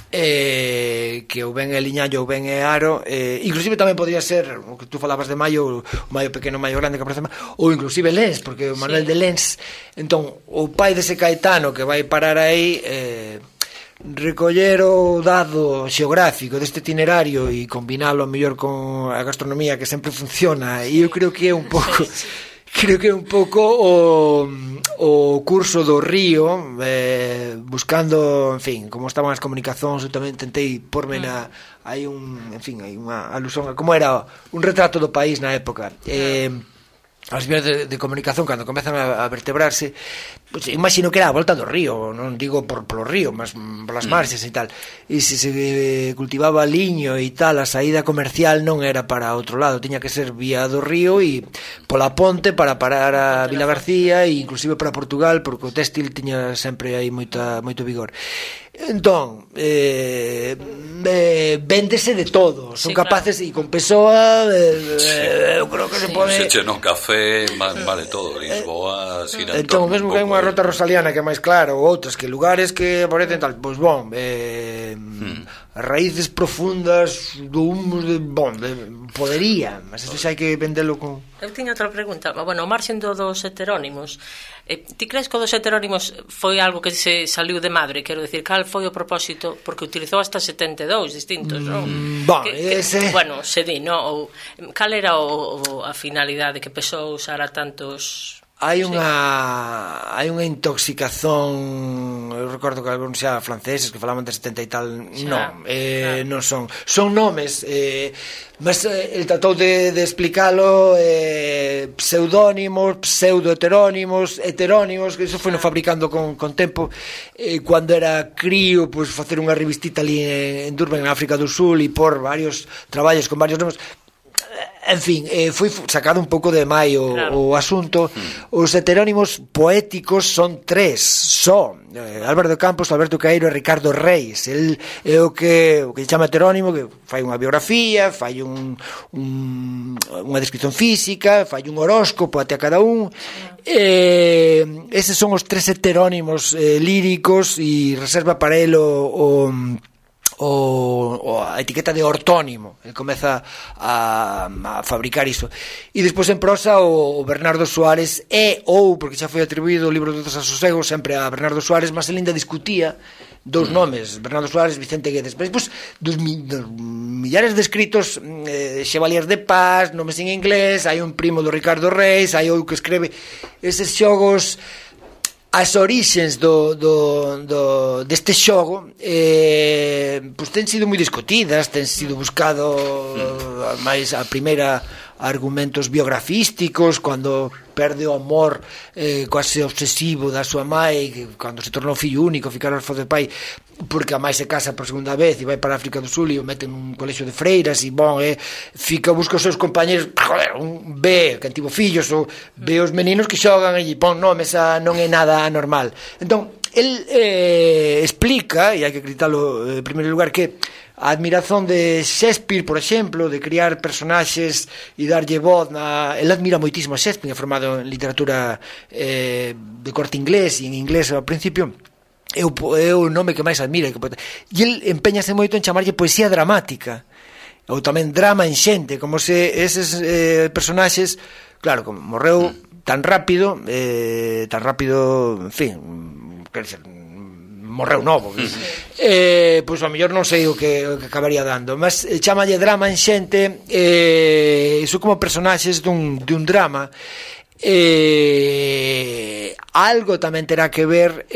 que ou ben é Liñallo ou ben é Aro, inclusive tamén podría ser o que tú falabas de Maio, o Maio pequeno, o Maio grande que aparece, ou inclusive Lens, porque o Manuel de Lens. Entón, o pai dese Caetano que vai parar aí, recoller o dado xeográfico deste itinerario e combinalo mellor con a gastronomía que sempre funciona, e eu creo que é un pouco o curso do Río, buscando, en fin, como estaban as comunicacións. Eu tamén tentei porme hai unha alusión a como era un retrato do país na época. As vías de comunicación, cando comezan a vertebrarse, pues, imagino que era a volta do río, non digo polo río, mas polas marxes e tal, e se cultivaba liño e tal, a saída comercial non era para outro lado, tiña que ser vía do río e pola ponte para parar a Vila García e inclusive para Portugal, porque o téxtil tiña sempre aí moito vigor. Entón, véndese de todo, son capaces, e con Pessoa eu creo que se pode... Se che no café, vale todo, Lisboa, Sirantón... Entón, mesmo que hai unha rota rosaliana que é máis clara, ou outras que lugares que aparecen tal, pois bon, raíces profundas do humus podería, mas isto xa hai que vendelo con... Eu tiña outra pregunta, bueno, o marxen dos heterónimos, ti crees que o dos heterónimos foi algo que se saliu de madre? Quero decir, cal foi o propósito? Porque utilizou hasta 72 distintos, non? Bueno, se di, non? Cal era a finalidade que pesou usar a tantos... Hai unha intoxicación. Eu recordo que algúns xa franceses que falaban de 70 e tal. Non son nomes, mas el tratou de explicalo, pseudónimos, pseudo-heterónimos, heterónimos, que iso foi no fabricando con tempo. Cando era crío, pois facer unha revistita ali en Durban, en África do Sul, e por varios traballos con varios nomes. En fin, foi sacado un pouco de maio o asunto. Os heterónimos poéticos son tres só: Álvaro de Campos, Alberto Caeiro e Ricardo Reis. El é o que chama heterónimo, que fai unha biografía, fai unha descripción física, fai un horóscopo até a cada un. Eses son os tres heterónimos líricos, e reserva para el a etiqueta de ortónimo. Ele comeza a fabricar iso. E despois en prosa o Bernardo Suárez porque xa foi atribuído o libro dos asosegos sempre a Bernardo Suárez, mas ele ainda discutía dous nomes, Bernardo Suárez, Vicente Guedes. Despois dos millares de escritos, Chevalier de Paz, nomes en inglés, hai un primo do Ricardo Reis, hai outro que escreve eses xogos. As orixes deste xogo pois ten sido moi discutidas, ten sido buscado máis a primeira argumentos biografísticos, cando perde o amor quase obsesivo da súa mãe, cando se tornou fillo único, ficar orfo de pai, porque a mãe se casa por segunda vez e vai para a África do Sul e o meten nun colexio de freiras e busca os seus compañeros, ve quen tivo fillos, ou ve os meninos que xogan e pon nomes, non é nada anormal. Entón, el explica, e hai que acreditalo en primeiro lugar, que a admiración de Shakespeare, por exemplo, de criar personaxes e darlle voz el admira moitísimo a Shakespeare, é formado en literatura de corte inglés e en inglés ao principio, é o nome que máis admira, e el empeñase moito en chamarlle poesía dramática ou tamén drama en xente, como se eses personaxes, claro, como morreu tan rápido, en fin, quer dizer, morreu novo, pois ao mellor non sei o que acabaría dando, mas chamalle drama en xente, iso como personaxes dun drama. Algo tamén terá que ver,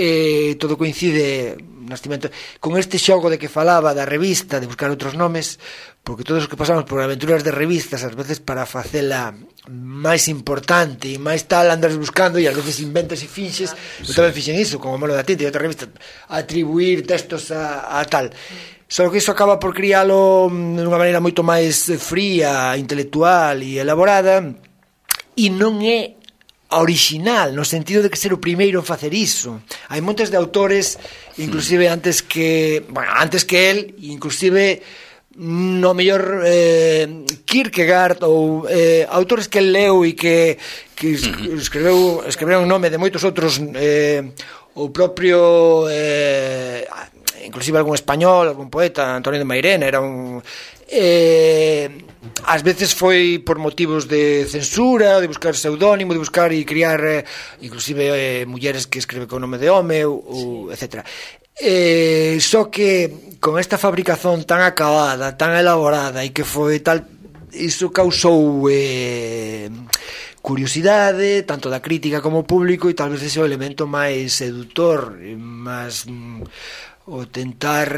todo coincide nascimento, con este xogo de que falaba da revista, de buscar outros nomes, porque todos os que pasamos por aventuras de revistas, ás veces para facela máis importante e máis tal, andas buscando e ás veces inventas e finxes. Eu tamén fixen iso, como Molo da Tinta e outra revista, atribuir textos a tal. Só que iso acaba por crialo dunha maneira moito máis fría, intelectual e elaborada, e non é original, no sentido de que ser o primeiro en facer iso. Hai montes de autores, inclusive antes que el, inclusive no mellor Kierkegaard ou autores que el leu e que escreveron o nome de moitos outros, o propio inclusive algún español, algún poeta, Antonio de Mairena, era un ás veces foi por motivos de censura, de buscar pseudónimo, de buscar e criar inclusive mulleres que escriben con nome de home ou etc. Só que con esta fabricación tan acabada, tan elaborada e que foi tal, iso causou curiosidade tanto da crítica como público, e tal vez ese é o elemento máis seductor, máis o tentar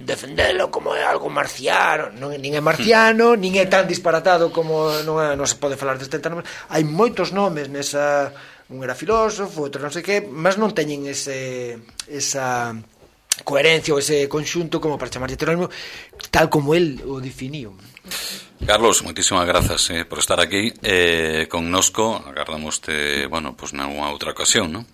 defendelo como é algo marciano. Nin é marciano, nin é tan disparatado como non se pode falar deste tema. Hai moitos nomes nesa, un era filósofo, outro non sei que, mas non teñen esa coherencia ou ese conxunto como para chamar de heterónimo tal como el o definiu. Carlos, moitísimas grazas por estar aquí connosco. Agardamos-te, bueno, pues nunha outra ocasión, ¿no?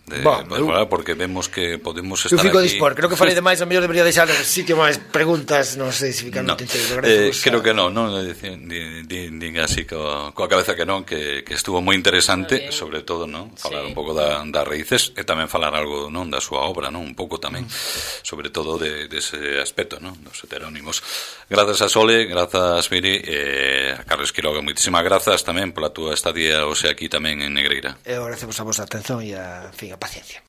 Porque vemos que podemos estar aquí. Eu fico dispor, creo que falei demais, a mellor debería deixar o sitio máis preguntas, non sei se ficar moito enteiro. Creo que non, diga así coa cabeza que non, que estuvo moi interesante, sobre todo, non? Falar un pouco das raíces e tamén falar algo, non, da súa obra, non? Un pouco tamén, sobre todo dese aspecto, non? Dos heterónimos. Grazas a Sole, grazas Miri, a Carlos Quiroga, moitísimas grazas tamén pola túa estadía hoxe aquí tamén en Negreira. Eu agradecemos a vosa atención e a paciencia.